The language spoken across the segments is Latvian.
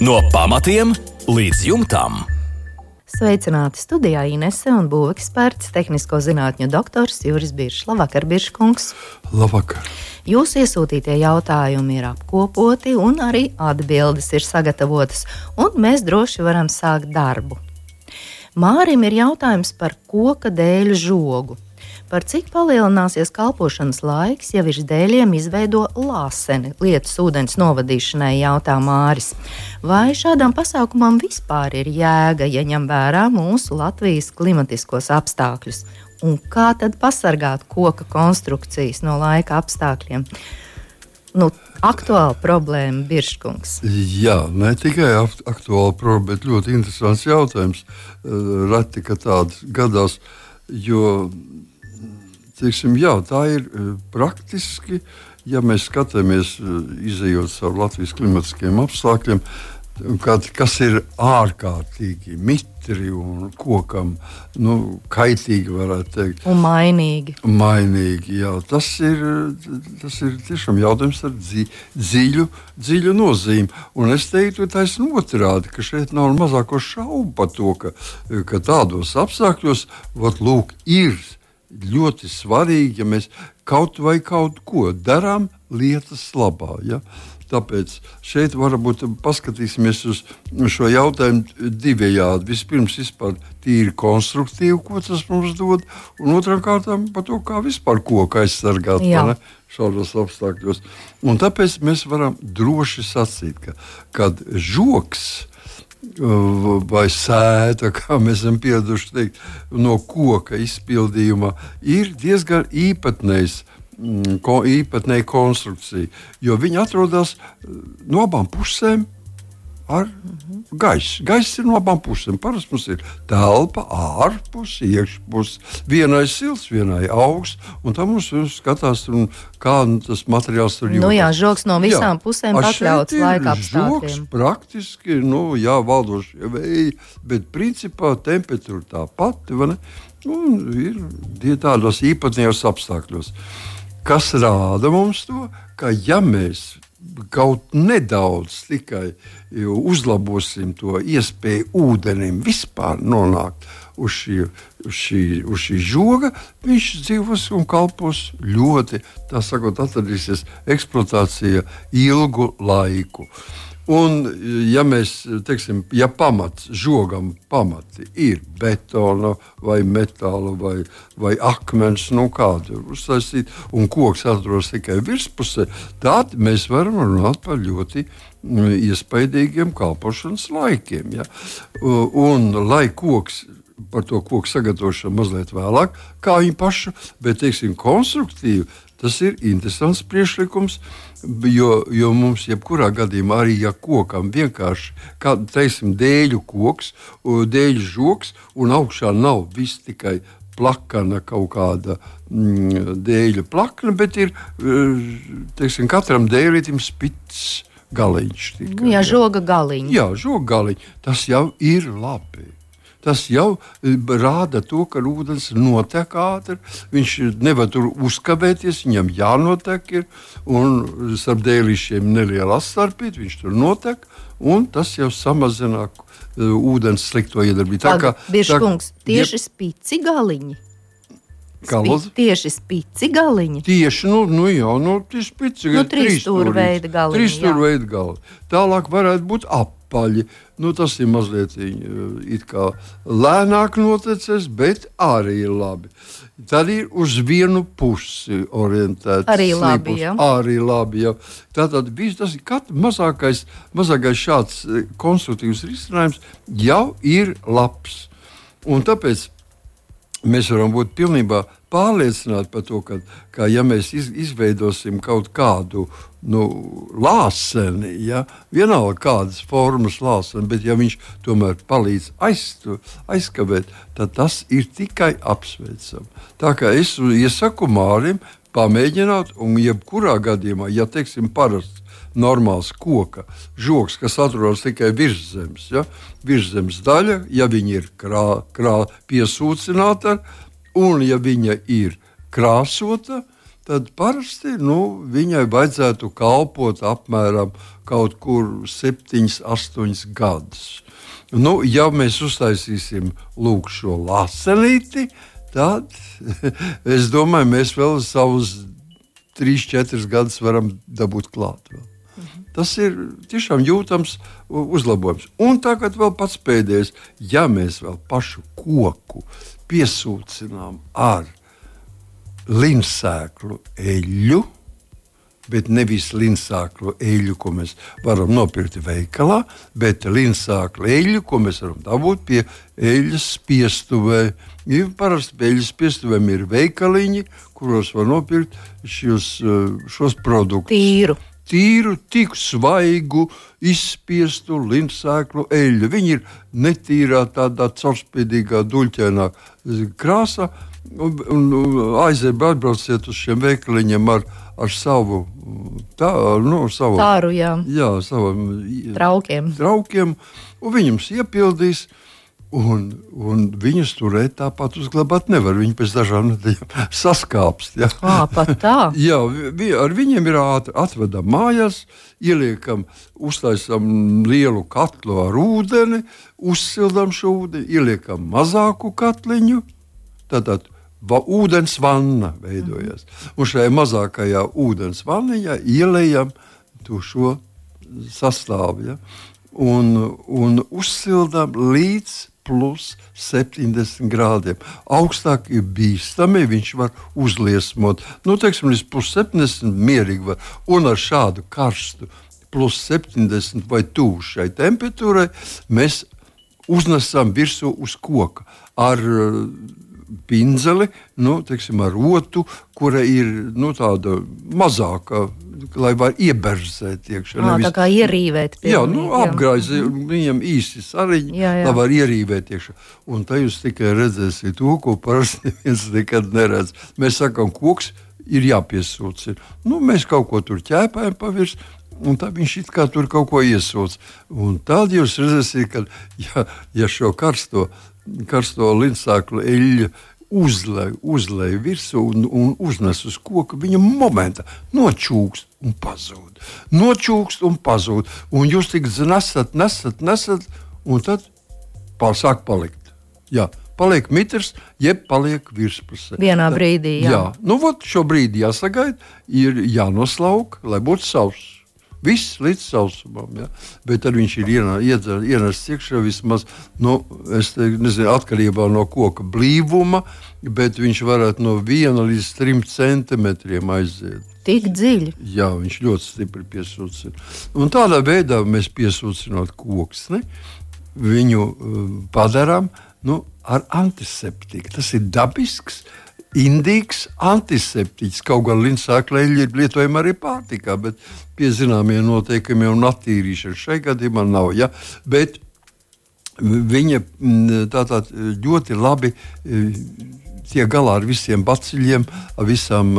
No pamatiem līdz jumtam. Sveicināti studijā Inese un būveksperts, tehnisko zinātņu doktors Juris Biršs. Labvakar, Birškungs. Labvakar. Jūsu iesūtītie jautājumi ir apkopoti un arī atbildes ir sagatavotas, un mēs droši varam sākt darbu. Mārim ir jautājums par koka dēļu žogu. Par cik palielināsies kalpošanas laiks, ja virs dēļiem izveido lāseni lietas ūdens novadīšanai, jautā Māris. Vai šādam pasākumam vispār ir jēga, ja ņem vērā mūsu Latvijas klimatiskos apstākļus? Un kā tad pasargāt koka konstrukcijas no laika apstākļiem? Aktuāla problēma, Birškungs. Jā, ne tikai aktuāla problēma, bet ļoti interesants jautājums. Reti, ka tāds gadās, jo tā ir praktiski, ja mēs skatāmies, izejot caur Latvijas klimatiskiem apstākļiem, kas ir ārkārtīgi mitri un kokam kaitīgi, varētu teikt. Un mainīgi. Jā. Tas ir tiešām jautājums ar dziļu nozīmi. Un es teiktu, taisn otrādi, ka šeit nav mazāko šaubu par to, ka tādos apstākļos ir ļoti svarīgi, ja mēs kaut ko darām lietas labā. Ja? Tāpēc šeit varbūt paskatīsimies uz šo jautājumu divējādi. Vispirms vispār tīri konstruktīvi, ko tas mums dod, un otrām kārtām par to, kā vispār koku aizsargāt šādos apstākļos. Un tāpēc mēs varam droši sacīt, ka žoks vai sēta, kā mēs esam pieraduši teikt, no koka izpildījuma, ir diezgan īpatnēja konstrukcija, jo viņi atrodas no abām pusēm ar gaisu. Gaiss ir no abām pusēm. Parasti mums ir telpa, ārpus, iekšpus. Vienai silts, vienai augsts, un tam mums skatās, kā tas materiāls tur jūtas. Žoks no visām pusēm pakļauts laika apstākļiem. Žoks praktiski, valdošie vēji, bet principā temperatūra tā pati, ir tādos īpatnējos apstākļos. Kas rāda mums to, ka ja mēs kaut nedaudz tikai uzlabosim to iespēju ūdenim vispār nonākt uz šī žoga, viņš dzīvos un kalpos ļoti, atradīsies eksploatācija ilgu laiku. Un, ja mēs, ja žogam pamati ir betona vai metāla vai akmens, kādu uztaisīt, un koks atrodas tikai virspusē, tad mēs varam runāt par ļoti iespaidīgiem kalpošanas laikiem. Ja? Un, lai par to koku sagatavošanu mazliet vēlāk, kā viņu pašu, bet, konstruktīvi, tas ir interesants priekšlikums, jo mums jebkurā gadījumā arī, ja kokam vienkārši, dēļu koks, dēļu žoks, un augšā nav viss tikai plakana kaut kāda dēļu plakna, bet ir, katram dēļītim spits galiņš. Žoga galiņš. Jā, žoga galiņš. Tas jau ir labi. Tas jau rāda to, ka ūdens notek ātri, viņš nevar tur uzkavēties, viņam jānotek ir, un starp dēlīšiem neliela astarpīt, viņš tur notek, un tas jau samazina ūdens slikto iedarbību. Birškungs, tieši spici galiņi? Tieši spici galiņi? Tieši, tieši spici galiņi. Trīsstūrveida galiņi. Trīsstūrveida galiņi. Tālāk varētu būt apaļi. Tas ir mazliet it kā lēnāk notecies, bet arī ir labi. Tad ir uz vienu pusi orientēts. Arī labi, jā. Arī labi, jā. Tātad tas ir mazākais šāds konstruktīvs risinājums jau ir labs. Un tāpēc mēs varam būt pilnībā pārliecināti par to, ka ja mēs izveidosim kaut kādu lāseni, vienalga kādas formas lāseni, bet ja viņš tomēr palīdz aizkavēt, tad tas ir tikai apsveicam. Tā kā es iesaku Mārim pamēģināt, un jebkurā gadījumā, ja parasts normāls koka žoks, kas atrodas tikai virszemes, virszemes daļa, ja viņa ir piesūcināta, un ja viņa ir krāsota, tad parasti viņai vajadzētu kalpot apmēram kaut kur 7-8 gadus. Ja mēs uztaisīsim šo lāsenīti, tad es domāju, mēs vēl savus 3-4 gadus varam dabūt klāt. Tas ir tiešām jūtams uzlabojums. Un tagad vēl pats pēdējais, ja mēs vēl pašu koku piesūcinām ar linsēklu eļļu, bet nevis linsēklu eļļu, ko mēs varam nopirkt veikalā, bet linsēklu eļļu, ko mēs varam dabūt pie eļļas spiestuvē. Parasti pie eļļas spiestuvēm ir veikaliņi, kuros var nopirkt šos produktus. Tīru, tik svaigu, izspiestu linsēklu eļļu. Viņi ir netīrā, tādā caurspīdīgā, duļķainā krāsā. Atbrauciet uz šiem veikaliņiem ar savu tāru, traukiem, un viņi jums iepildīs. Un viņus turēt tāpat uzglabāt nevar. Viņi pēc dažām nedēļām saskāpst. Ja? Pat tā? Jā, ar viņiem ir atvedam mājās, uztaisam lielu katlu ar ūdeni, uzsildam šo ūdeni, ieliekam mazāku katliņu, tātad ūdens vanna veidojas. Un šajā mazākajā ūdens vanniņā ielējam šo sastāvu. Ja? Un uzsildam līdz plus 70 grādiem. Augstāk ir bīstami, viņš var uzliesmot. Teiksim, līdz plus 70 mierīgi var. Un ar šādu karstu plus 70 vai tuvu šai temperatūrai mēs uznesam virsū uz koka ar pinzeli, teiksim, ar rotu, kura ir tāda mazāka, lai var ieberzēt iekšā. Tā kā ierīvēt. Apgraizi viņam īsti sariņi, lai var ierīvēt iekšā. Un tā jūs tikai redzēsiet to, ko parasti neviens nekad neredz. Mēs sakām, koks ir jāpiesūcina. Mēs kaut ko tur ķēpājam pavirs, un tā viņš it kā tur kaut ko iesūc. Un tad jūs redzēsiet, ka ja šo karsto linsēklu eļļu uzlej virsū un uznes uz koka, viņa momentā nočūkst un pazūd. Un jūs tik nesat, un tad sāk palikt. Jā, paliek mitrs, jeb paliek virspusē. Vienā brīdī, jā. Šo brīdi jāsagaida, ir jānoslauk, lai būtu sauss. Viss līdz sausumam, ja? Bet tad viņš ir ienests iekšā vismaz, es nezinu, atkarībā no koka blīvuma, bet viņš varētu no 1 līdz 3 centimetriem aiziet. Tik dziļi? Jā, viņš ļoti stipri piesūcina. Un tādā veidā mēs piesūcinot koksni, viņu padarām ar antiseptiku. Tas ir dabisks, indīgs antiseptiķis. Kaut gan linsēkla eļļa ir lietojama arī pārtikā, bet pie zināmiem noteikumiem un attīrīšana šai gadījumā nav. Ja? Bet viņa tātad ļoti labi tiek galā ar visiem baciļiem, ar visām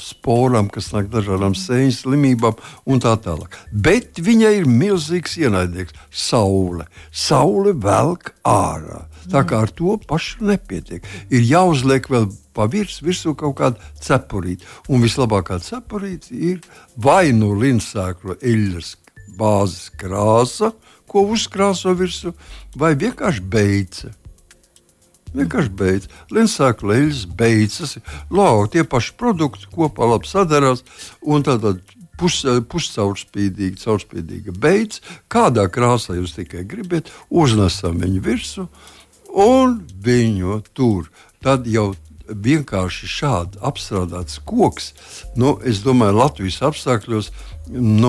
sporām, kas nāk dažādām sēņas slimībām un tā tālāk. Bet viņai ir milzīgs ienaidnieks – saule. Saule velk ārā. Tā kā ar to pašu nepietiek. Ir jāuzliek vēl virsū kaut kāda cepurīte. Un vislabākā cepurīte ir vai linsēklu eļļas bāzes krāsa, ko uzkrāso virsū, vai vienkārši beice. Linsēklu eļļas beidzas, tie paši produkti kopā labi sadarās, un tātad caurspīdīga beidzas, kādā krāsā jūs tikai gribat, uznesam viņu virsū, un viņu tur. Tad jau vienkārši šādi apstrādāts koks, es domāju, Latvijas apstākļos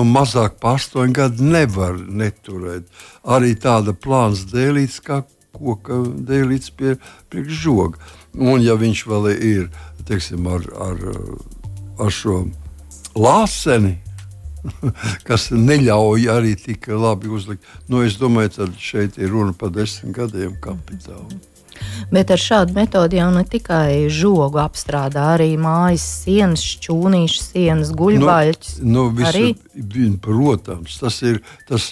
mazāk par 8 gadu nevar neturēt. Arī tāda plāns dēlīts, kā koka dēlīts priekš žoga. Un ja viņš vēl ir, teiksim, ar šo lāseni, kas neļauj arī tik labi uzlikt. Es domāju, tad šeit ir runa par 10 gadiem kapitālu. Bet ar šādu metodi jau ne tikai žogu apstrādā, arī mājas sienas, šķūnīšu sienas, guļbaļķus. Protams, tas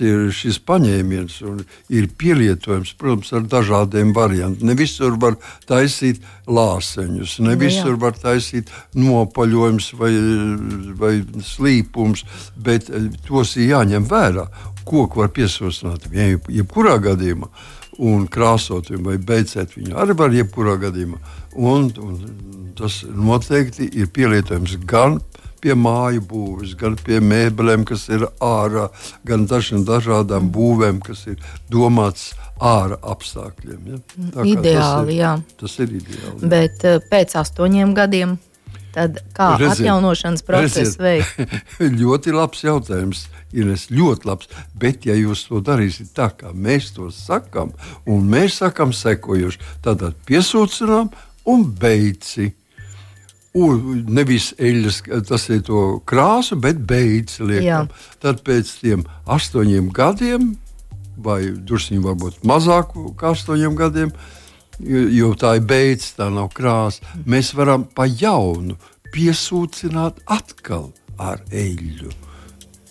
ir šis paņēmiens un ir pielietojams, protams, ar dažādiem variantiem. Ne visur var taisīt lāseņus, ne visur var taisīt nopaļojums vai slīpums, bet tos ir jāņem vērā. Koku var piesaucināt jebkurā gadījumā. Un krāsot viņu vai beidzēt viņu arī var jebkurā gadījumā. Un tas noteikti ir pielietojams gan pie māju būves, gan pie mēbelēm, kas ir ārā, gan dažādām būvēm, kas ir domāts ārā apstākļiem. Ja? Ideāli, tas ir ideāli. Bet pēc 8 gadiem, tad kā atjaunošanas procesu veikt? Ļoti labs jautājums. Ines, ļoti labs, bet ja jūs to darīsiet tā, kā mēs to sakām, un mēs sakām sekojuši, tad piesūcinām un beidzi. Nevis eļļas, tas ir to krāsu, bet beidzi liekam. Tad pēc tiem 8 gadiem, vai drusciņi varbūt mazāk kā 8 gadiem, jo tā ir beidz, tā nav krāsa, mēs varam pa jaunu piesūcināt atkal ar eļļu.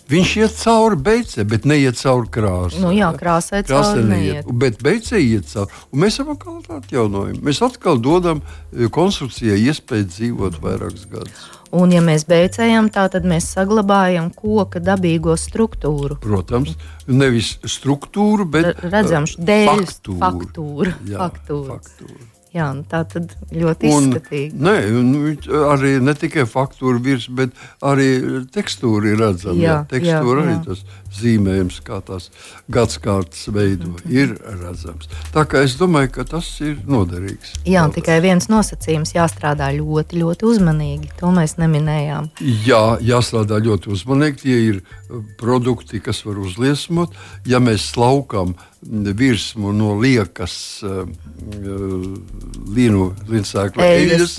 Viņš iet cauri beidzē, bet neiet cauri krāsai. Krāsai cauri neiet. Bet beidzē iet cauri. Un mēs atkal atjaunojam. Mēs atkal dodam konstrukcijai iespēju dzīvot vairākus gadus. Un ja mēs beidzējam tā, tad mēs saglabājam koka dabīgo struktūru. Protams, nevis struktūru, bet faktūru. Faktūru. Jā, tā tad ļoti izskatīgi. Arī ne tikai faktūra virs, bet arī tekstūra ir redzama. Tekstūra arī tas zīmējums, kā tās gadskārtas veido, ir redzams. Tā kā es domāju, ka tas ir noderīgs. Jā, tikai viens nosacījums jāstrādā ļoti, ļoti uzmanīgi. To mēs neminējām. Jā, jāstrādā ļoti uzmanīgi. Tie ir produkti, kas var uzliesmot. Ja mēs slaukam virsmu no liekas līnsēkla eļļas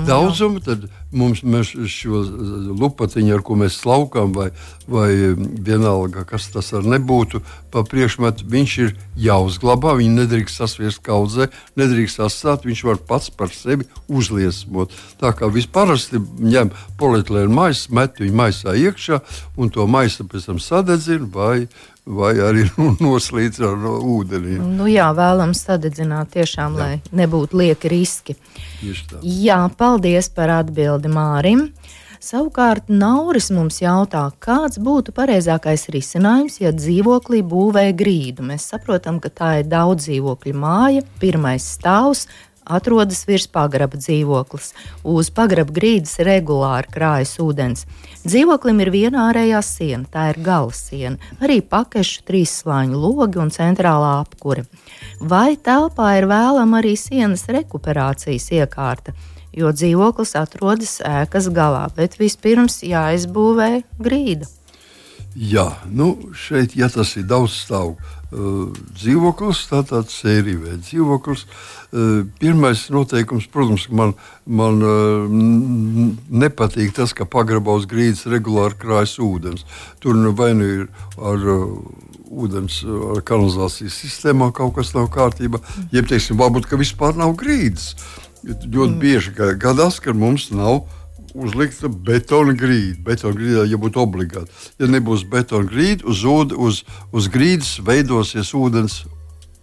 daudzumu, tad mēs šo lupatiņu, ar ko mēs slaukām, vai vienalga, kas tas ar nebūtu, pa priekšmetu, viņš ir jāuzglabā, viņu nedrīkst sasviest kaudzē, nedrīkst atstāt, viņš var pats par sevi uzliesmot. Tā kā visparasti ņem polietilēnu maisu, met viņu maisā iekšā, un to maisu pēc tam sadedzina, vai arī noslīdz ar ūdeni. Vēlams sadedzināt tiešām, lai nebūtu lieki riski. Tieši tā. Jā, paldies par atbildi Mārim. Savukārt Nauris mums jautā, kāds būtu pareizākais risinājums, ja dzīvoklī būvē grīdu. Mēs saprotam, ka tā ir daudz dzīvokļu māja, pirmais stāvs, atrodas virs pagraba dzīvoklis. Uz pagraba grīdas regulāri krājas ūdens. Dzīvoklim ir viena ārējā siena, tā ir gala siena, arī pakešu 3 slāņu logi un centrālā apkure. Vai telpā ir vēlama arī sienas rekuperācijas iekārta, jo dzīvoklis atrodas ēkas galā, bet vispirms jāizbūvē grīda? Jā, šeit, ja tas ir daudzstāvu dzīvoklis, tātad sērija dzīvoklis. Pirmais noteikums, protams, man nepatīk tas, ka pagrabā uz grīdas regulāri krājas ūdens. Tur vai nu ir ar ūdens ar kanalizācijas sistēmā kaut kas nav kārtībā, jeb, teiksim, varbūt, ka vispār nav grīdas. Ļoti bieži gadās, ka mums nav uzlikta betona grīda. Betona grīdā jābūt obligāti. Ja nebūs betona grīda, uz grīdas veidosies ūdens.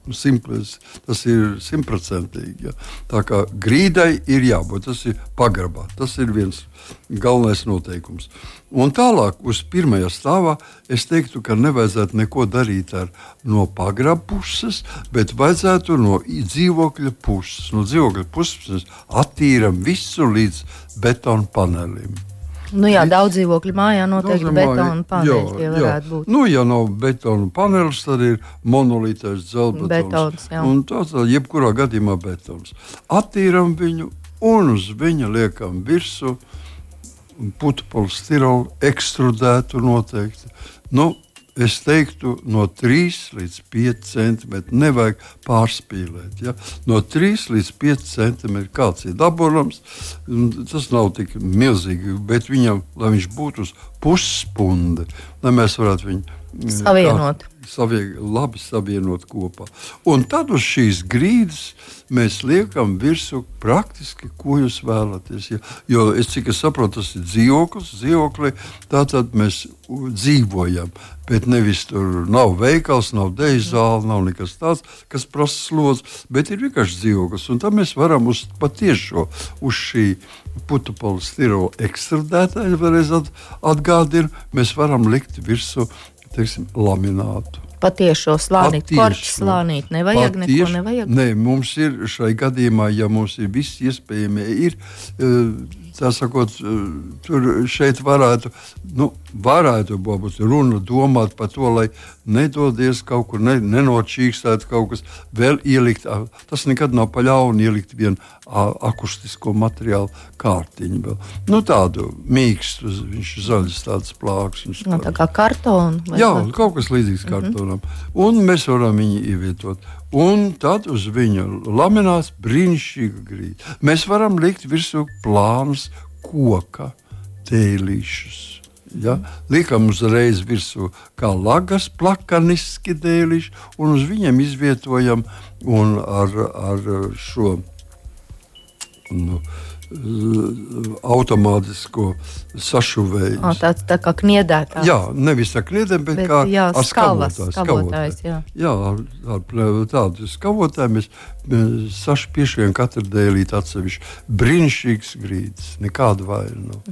Tas ir 100%. Ja. Tā kā grīdai ir jābūt, tas ir pagrabā. Tas ir viens galvenais noteikums. Un tālāk uz pirmajā stāvā es teiktu, ka nevajadzētu neko darīt no pagraba puses, bet vajadzētu no dzīvokļa puses. No dzīvokļa puses attīram visu līdz betona panelim. Daudz dzīvokļu mājā noteikti betona paneļi tie varētu būt. Ja nav betona panelis, tad ir monolītais dzelzbetons. Un tāds jebkurā gadījumā betons. Attīram viņu un uz viņa liekam virsmu putekļu ekstrudētu noteikti. Es teiktu, no 3 līdz 5 centimetri. Nevajag pārspīlēt. Ja? No 3 līdz 5 centimetri kāds ir dabūrams. Tas nav tik milzīgi, bet viņam, lai viņš būtu uz pusspundi, lai mēs varētu viņu labi savienot kopā. Un tad uz šīs grīdas mēs liekam virsū praktiski, ko jūs vēlaties. Ja? Jo es cik es saprotu, tas ir dzīvoklī, tātad mēs dzīvojam. Bet nevis tur nav veikals, nav deju zāle, nav nekas tāds, kas prasa slodzi, bet ir vienkārši dzīvoklis. Un tad mēs varam uz šī putupolistirolu ekstrudētāja, vēlreiz atgādinu, mēs varam likt virsū, teiksim, laminātu. Patiešo slānīti, korķi slānīt, neko nevajag? Nē, mums ir šai gadījumā, ja mums ir viss iespējamie, ir, tā sakot, tur šeit varētu būt runa domāt par to, lai nedodies kaut kur, nenočīkstētu kaut kas, vēl ielikt, tas nekad nav pa ļaunu ielikt vienu akustisko materiālu kārtiņu vēl. Tādu mīkstu, viņš zaļas tādas plāks. Tā kā kartonu? Jā, kaut kas līdzīgs kartonam. Un mēs varam viņu ievietot. Un tad uz viņa laminās brīnišķīga grīda. Mēs varam likt virsū plānus koka dēlīšus. Ja? Liekam uzreiz virsū kā lagas plakaniski dēlīši un uz viņiem izvietojam un ar šo automātisko sašuvēju. Tā kā kniedētājs. Jā, nevis tā kniedēm, bet kā ar skavotājs. Jā, ar tādu skavotāju mēs sašpiešiem katru dēlīt atsevišķi. Brīnišķīgs grīdas, nekāda vaina nav.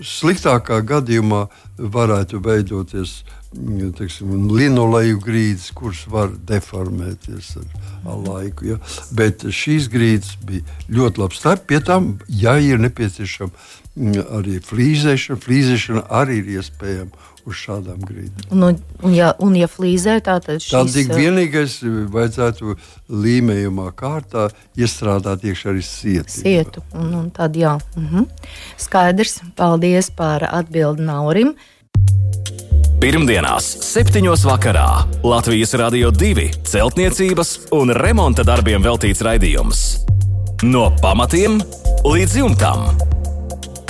Sliktākā gadījumā varētu veidoties linoleju grīdas, kuras var deformēties ar laiku. Ja? Bet šīs grīdas bija ļoti labas. Tā pie tam, ja ir nepieciešama arī flīzēšana, flīzēšana arī ir iespējama uz šādām grīdām. Un ja flīzē, tad tik vienīgais vajadzētu līmējumā kārtā iestrādāt iekšā arī sietu. Un tad jā. Skaidrs. Paldies par atbildi Naurim. Pirmdienās 7:00 vakarā Latvijas Radio 2 celtniecības un remonta darbiem veltīts raidījums. No pamatiem līdz jumtam.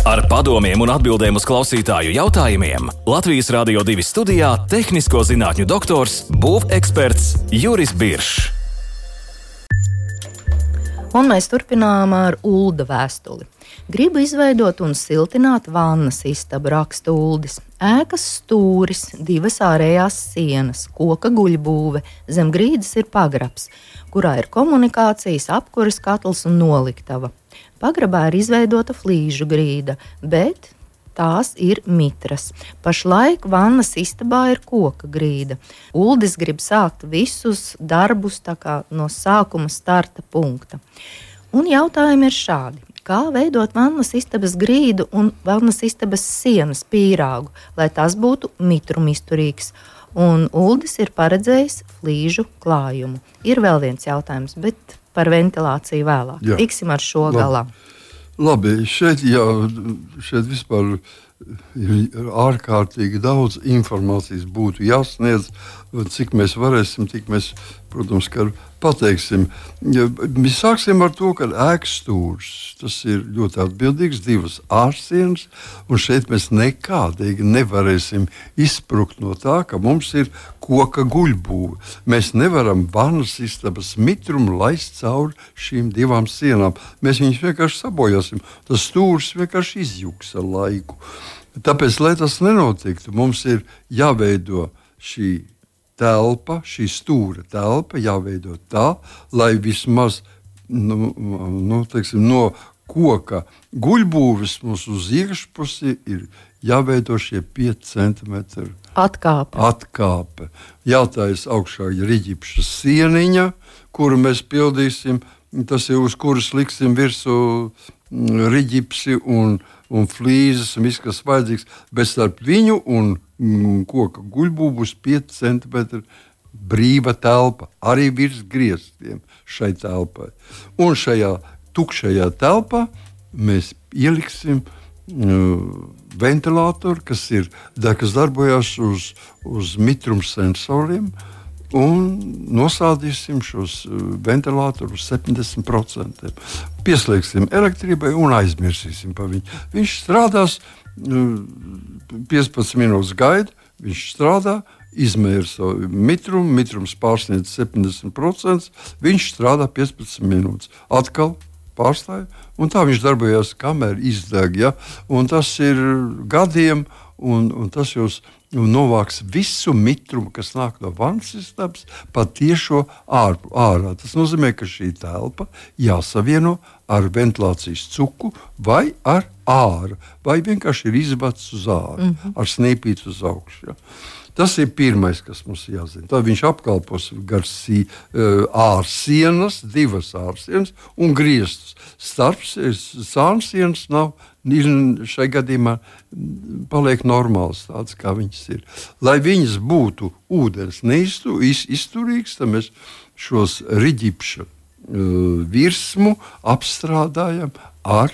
Ar padomiem un atbildēm uz klausītāju jautājumiem Latvijas Radio 2 studijā tehnisko zinātņu doktors, būveksperts Juris Biršs. Un mēs turpinām ar Ulda vēstuli. Gribu izveidot un siltināt vannas istabu, raksta Uldis. Ēkas stūris, 2 ārējās sienas, koka guļbūve, zem grīdas ir pagrabs, kurā ir komunikācijas, apkuras katls un noliktava. Pagrabā ir izveidota flīžu grīda, bet tās ir mitras. Pašlaik vannas istabā ir koka grīda. Uldis grib sākt visus darbus no sākuma starta punkta. Un jautājumi ir šādi. Kā veidot vannas istabas grīdu un vannas istabas sienas pīrāgu, lai tas būtu mitrumizturīgs? Un Uldis ir paredzējis flīžu klājumu. Ir vēl viens jautājums, bet par ventilāciju vēlāk. Jā. Tiksim ar šo galā. Labi, šeit vispār ir ārkārtīgi daudz informācijas būtu jāsniedz, cik mēs varēsim, tik mēs, protams, pateiksim. Mēs sāksim ar to, ka ēkas stūris, tas ir ļoti atbildīgs, 2 ārsienas, un šeit mēs nekādīgi nevarēsim izsprukt no tā, ka mums ir koka guļbūve. Mēs nevaram vannas istabas mitrumu laist cauri šīm 2 sienām. Mēs viņus vienkārši sabojāsim. Tas stūris vienkārši izjūgs ar laiku. Tāpēc, lai tas nenotiktu, mums ir jāveido šī telpa, šī stūra telpa, jāveido tā, lai vismaz no koka guļbūves mums uz iekšpusi ir jāveido šie 5 centimetri atkāpe. Jātājas augšā riģipša sieniņa, kuru mēs pildīsim, tas ir uz kuras liksim virsū riģipsi un flīzes un viss, kas vajadzīgs, bet starp viņu un koka guļbūvu būs 5 centimetri brīva telpa, arī virs griestiem šai telpai. Un šajā tukšajā telpā mēs ieliksim ventilātoru, kas darbojas uz mitrumsensoriem, un nosādīsim šos ventilātorus 70%. Pieslēgsim elektrībai un aizmirsīsim par viņu. Viņš strādās 15 minūtes gaida, viņš strādā, izmēra savu mitrumu, mitrums pārsniedz 70%, viņš strādā 15 minūtes. Atkal pārstāja, un tā viņš darbojās, kamēr izdeg. Ja? Un tas ir gadiem, un tas jūs novāks visu mitrumu, kas nāk no vannas istabas, patiešo ārā. Tas nozīmē, ka šī telpa jāsavieno ar ventilācijas cuku vai ar āru, vai vienkārši ir izbats uz āru, ar snīpīti uz augšu. Ja? Tas ir pirmais, kas mums jāzina. Tad viņš apkalpos gar ārsienas, divas ārsienas un griestus. Starp sānsienas nav, šai gadījumā paliek normāls tāds, kā viņas ir. Lai viņas būtu ūdens izturīgs, tad mēs šos riģipša virsmu apstrādājam ar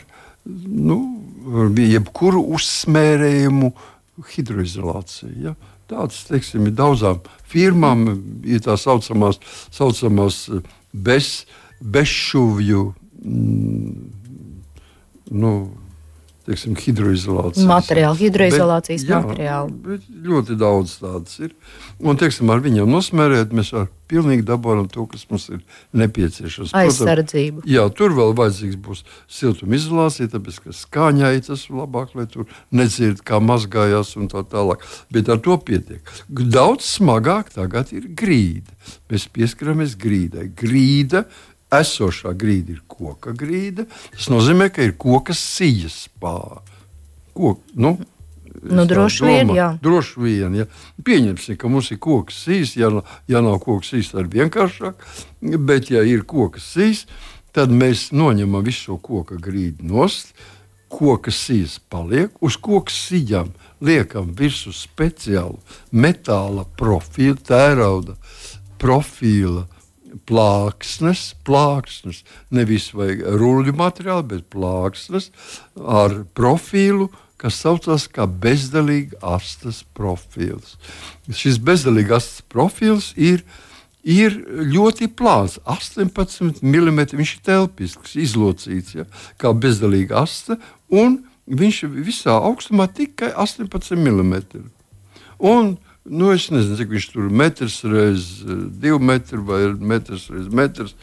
jebkuru uzsmērējumu hidroizolāciju. Ja? Tāds, teiksim, ir daudzām firmām, ir tā saucamās bezšuvju hidroizolācijas. Hidroizolācijas materiāli. Ļoti daudz tādas ir. Un, teiksim, ar viņiem nosmērēt, mēs pilnīgi dabūjam to, kas mums ir nepieciešams. Aizsardzību. Jā, tur vēl vajadzīgs būs siltumizolācija, tāpēc, ka skaņai tas ir labāk, lai tur nedzird, kā mazgājās un tā tālāk. Bet ar to pietiek. Daudz smagāk tagad ir grīda. Mēs pieskaramies grīdai. Esošā grīda ir koka grīda. Tas nozīmē, ka ir koka sijas pār. Droši vien, jā. Droši vien, ja. Pieņemsim, ka mums ir koka sijas. Ja nav koka sijas, tad ir vienkāršāk. Bet, ja ir koka sijas, tad mēs noņemam visu šo koka grīdu nost. Koka sijas paliek. Uz koka sijām liekam virsū speciālu metāla profilu, tērauda profila plāksnes, nevis vajag ruļu materiālu, bet plāksnes ar profilu, kas saucās kā bezdelīga astes profils. Šis bezdelīga astes profils ir ļoti plāns, 18 mm, viņš ir telpisks, izlocīts, ja, kā bezdelīga aste, un viņš visā augstumā tikai 18 mm. Un es nezinu, cik viņš tur metrs reiz 2 metri vai metrs reiz metrs.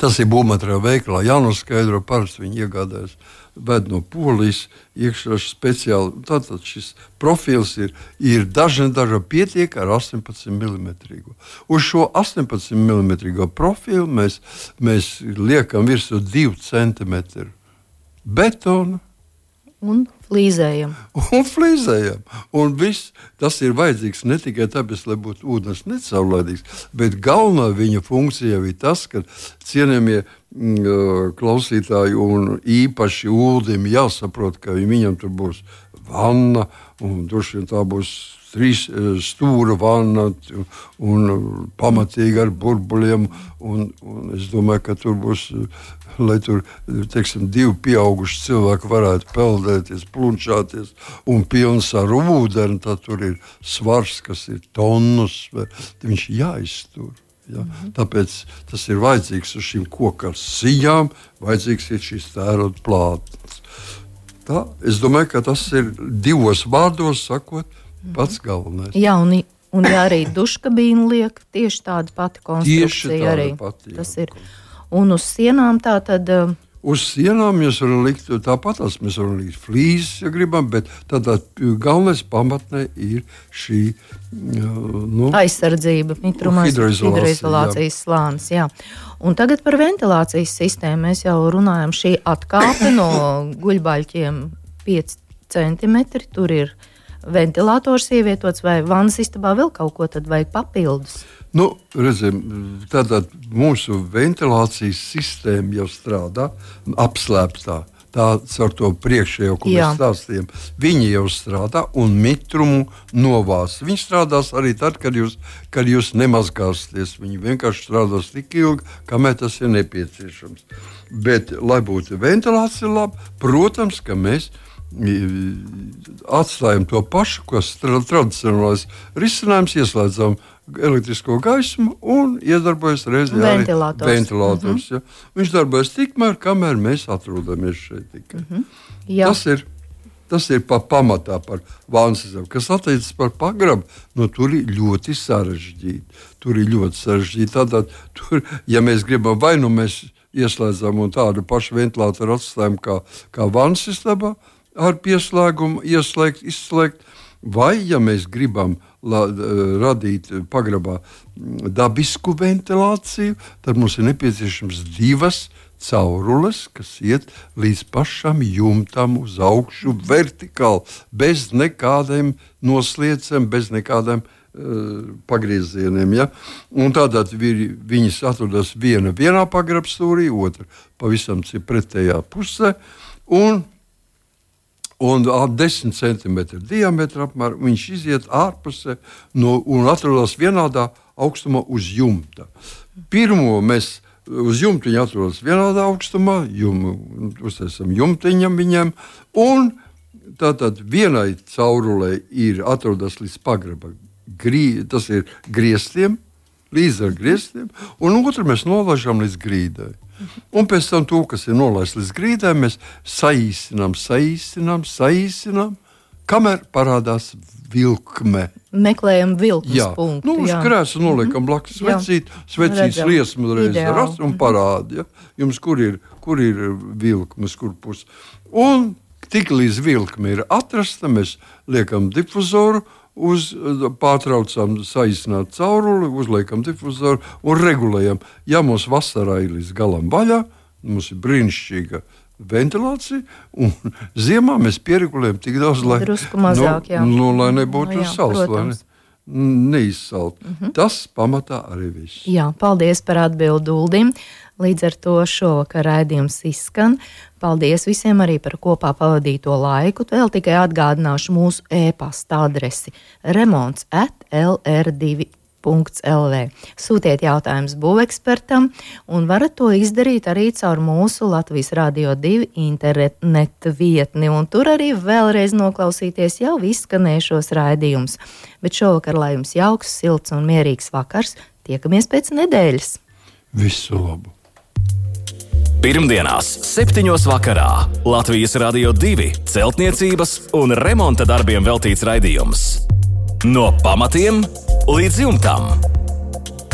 Tas ir būvmateriāla veikalā jānoskaidro, parasti viņi iegādājas ved no Polijas iekšā speciāli. Tātad šis profils ir dažna pietiek ar 18 mm. Uz šo 18 mm profilu mēs liekam virsū 2 cm betonu. Un flīzējam. Un viss tas ir vajadzīgs ne tikai tāpēc, lai būtu ūdens necaurlaidīgs, bet galvenā viņa funkcija ir tas, ka cienījamie klausītāji un īpaši Uldim jāsaprot, ka viņam tur būs vanna un droši vien tā būs 3 stūra vanna un pamatīgi ar burbuļiem. Un es domāju, ka tur būs, lai tur, teiksim, 2 pieauguši cilvēki varētu peldēties, plunčāties un pilns ar ūdeni, tad tur ir svars, kas ir tonnus, viņš jāiztur. Ja? Tāpēc tas ir vajadzīgs uz šīm koka sijām, vajadzīgs ir šīs tērauda plātnes. Tā, es domāju, ka tas ir 2 vārdos sakot, pats galvenais. Jā, un ja arī duškabīnu liek, tieši tāda pati konstrukcija arī. Tas ir. Un uz sienām tā tad. Uz sienām mēs varam likt tāpat, mēs varam likt flīzes, ja gribam, bet tādā galvenais pamatnē ir šī aizsardzība, hidroizolācijas slānis. Jā. Un tagad par ventilācijas sistēmu mēs jau runājam. Šī atkāpe no guļbaļķiem 5 cm, tur ir ventilators ievietots, vai vannas istabā vēl kaut ko tad vajag papildus? Redzam, tātad mūsu ventilācijas sistēma jau strādā apslēptā. Tā ar to priekšējo, ko mēs stāstījām, viņi jau strādā un mitrumu novās. Viņi strādās arī tad, kad jūs nemazgāsieties. Viņi vienkārši strādās tik ilgi, kamēr tas ir nepieciešams. Bet, lai būtu ventilācija laba, protams, ka mēs atstājam to pašu, kas tradicionālais risinājums, ieslēdzam elektrisko gaismu un iedarbojas reizē arī ventilators. Ja. Viņš darbojas tikmēr, kamēr mēs atrodamies šeit tikai. Tas ir pamatā par vānsistēmu. Kas attiecas par pagrabu, tur ir ļoti sarežģīti. Tātad, ja mēs gribam, vai nu mēs ieslēdzam un tādu pašu ventilātoru atstājam kā vānsistēmā, ar pieslēgumu izslēgt, vai, ja mēs gribam radīt pagrabā dabisku ventilāciju, tad mums ir nepieciešams 2 caurules, kas iet līdz pašam jumtam uz augšu vertikāli, bez nekādiem noslieciem, bez nekādiem pagriezieniem. Ja? Un tātad viņas atrodas vienā pagrabstūrī, otra pavisam pretējā pusē, un 10 cm diametra apmēram viņš iziet ārpusē un atrodas vienādā augstumā uz jumta. Pirmo mēs uz jumta viņi atrodas vienādā augstumā, uztaisam jumtiņam viņam, un tātad vienai caurulei atrodas līdz pagraba, tas ir griestiem, līdz ar griestiem, un otru mēs nolaižam līdz grīdai. Un pēc tam to, kas ir nolaists līdz grīdai, mēs saīsinām, kamēr parādās vilkme. Meklējam vilkmes punktu. Uz krēsla noliekam blakus svecītas liesmu reiz rast un parāda. Ja? Jums, kur ir vilkmes, kur pus. Un tik līdz vilkme ir atrasta, mēs liekam difuzoru, pārtraucam saīsināt cauruli, uzliekam difuzoru un regulējam. Ja mums vasarā ir līdz galam vaļā, mums ir brīnišķīga ventilācija, un ziemā mēs pieregulējam tik daudz, lai nebūtu salds, lai neizsalt. Tas pamatā arī viss. Jā, paldies par atbildi Uldim. Līdz ar to šovakar raidījums izskan. Paldies visiem arī par kopā pavadīto laiku. Vēl tikai atgādināšu mūsu e-pasta adresi remonts@lr2.lv. Sūtiet jautājumus būvekspertam, un varat to izdarīt arī caur mūsu Latvijas Radio 2 internetu vietni, un tur arī vēlreiz noklausīties jau izskanējušos raidījumus. Bet šovakar, lai jums jauks, silts un mierīgs vakars, tiekamies pēc nedēļas. Visu labu! Pirmdienās 7. vakarā Latvijas Radio 2 celtniecības un remonta darbiem veltīts raidījums. No pamatiem līdz jumtam.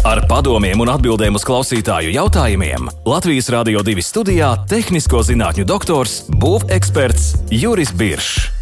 Ar padomiem un atbildēm uz klausītāju jautājumiem Latvijas Radio 2 studijā tehnisko zinātņu doktors, būveksperts Juris Biršs.